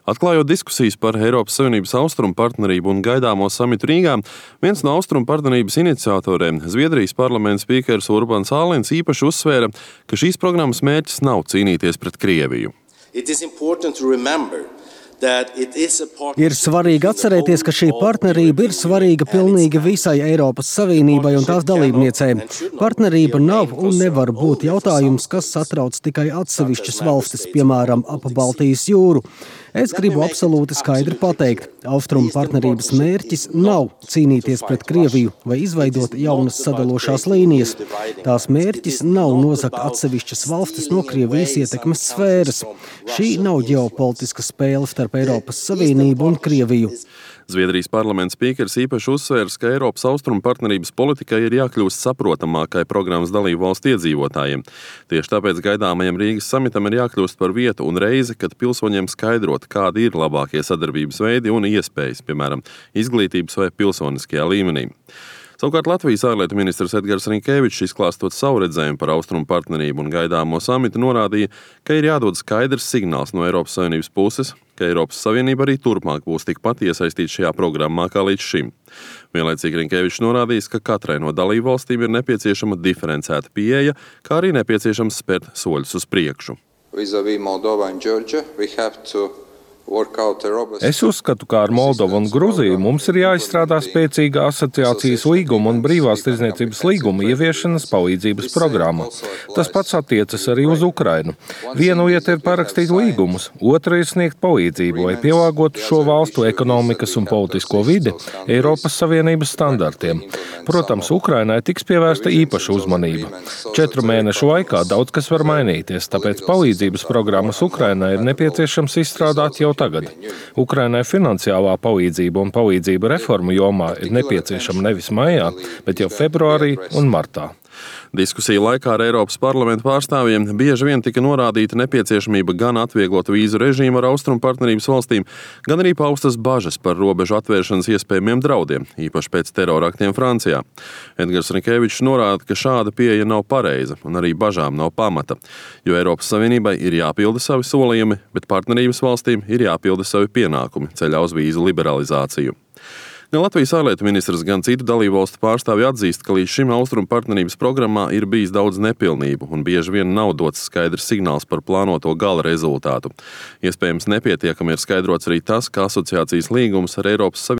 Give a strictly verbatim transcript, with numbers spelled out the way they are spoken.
Atklājot diskusijas par Eiropas Savienības austrumu partnerību un gaidāmo samitu Rīgā, viens no austrumu partnerības iniciatoriem, Zviedrijas parlamenta spīkers Urbans Ālins, īpaši uzsvēra, ka šīs programmas mērķis nav cīnīties pret Krieviju. Ir svarīgi atcerēties, ka šī partnerība ir svarīga pilnīgi visai Eiropas Savienībai un tās dalībniecēm. Partnerība nav un nevar būt jautājums, kas satrauc tikai atsevišķas valstis, piemēram, ap Baltijas jūru. Es gribu absolūti skaidri pateikt, austrumu partnerības mērķis nav cīnīties pret Krieviju vai izveidot jaunas sadalošās līnijas. Tās mērķis nav nozagt atsevišķas valstis no Krievijas ietekmes sfēras. Šī nav ģeopolitiska spēle starp Eiropas Savienību un Krieviju. Zviedrijas parlamenta spīkers īpaši uzsvērs, ka Eiropas austrumu partnerības politikai ir jākļūst saprotamākai programmas dalību valstu iedzīvotājiem. Tieši tāpēc gaidāmajam Rīgas samitam ir jākļūst par vietu un reizi, kad pilsoņiem skaidrot, kādi ir labākie sadarbības veidi un iespējas, piemēram, izglītības vai pilsoniskajā līmenī. Savukārt Latvijas ārlietu ministrs Edgars Rinkēvičs, izklāstot savu redzējumu par austrumu partnerību un gaidāmo samitu, norādīja, ka ir jādod skaidrs signāls no Eiropas Savienības puses, ka Eiropas Savienība arī turpmāk būs tikpat iesaistīta šajā programmā kā līdz šim. Vienlaicīgi Rinkēvičs norādījis, ka katrai no dalību valstīm ir nepieciešama diferencēta pieeja, kā arī nepieciešams spērt soļus uz priekšu. Es uzskatu, ka ar Moldovu un Gruziju mums ir jāizstrādā spēcīga asociācijas līguma un brīvās tirdzniecības līguma ieviešanas palīdzības programma. Tas pats attiecas arī uz Ukrainu. Viena lieta ir parakstīt līgumus, otra ir sniegt palīdzību, lai pielāgotu šo valstu ekonomikas un politisko vidi Eiropas Savienības standartiem. Protams, Ukrainai tiks pievērsta īpaša uzmanība. Četru mēnešu laikā daudz kas var mainīties, tāpēc palīdzības programmas Ukrainai ir nepieciešams izstrādāt jau tagad. Ukrainai finansiālā palīdzība un palīdzība reformu jomā ir nepieciešama nevis maijā, bet jau februārī un martā. Diskusiju laikā ar Eiropas parlamenta pārstāvjiem bieži vien tika norādīta nepieciešamība gan atvieglot vīzu režīmu ar austrumu partnerības valstīm, gan arī paustas bažas par robežu atvēršanas iespējamiem draudiem, īpaši pēc teroraktiem Francijā. Edgars Rinkēvičs norāda, ka šāda pieeja nav pareiza un arī bažām nav pamata, jo Eiropas Savienībai ir jāpilda savi solījumi, bet partnerības valstīm ir jāpilda savi pienākumi ceļā uz vīzu liberalizāciju. Gan Latvijas ārlietu ministrs, gan citu dalībvalstu pārstāvji atzīst, ka līdz šim austrumu partnerības programmā ir bijis daudz nepilnību un bieži vien nav dots skaidrs signāls par plānoto gala rezultātu. Iespējams, nepietiekami ir skaidrots arī tas, ka asociācijas līgums ar Eiropas Savienību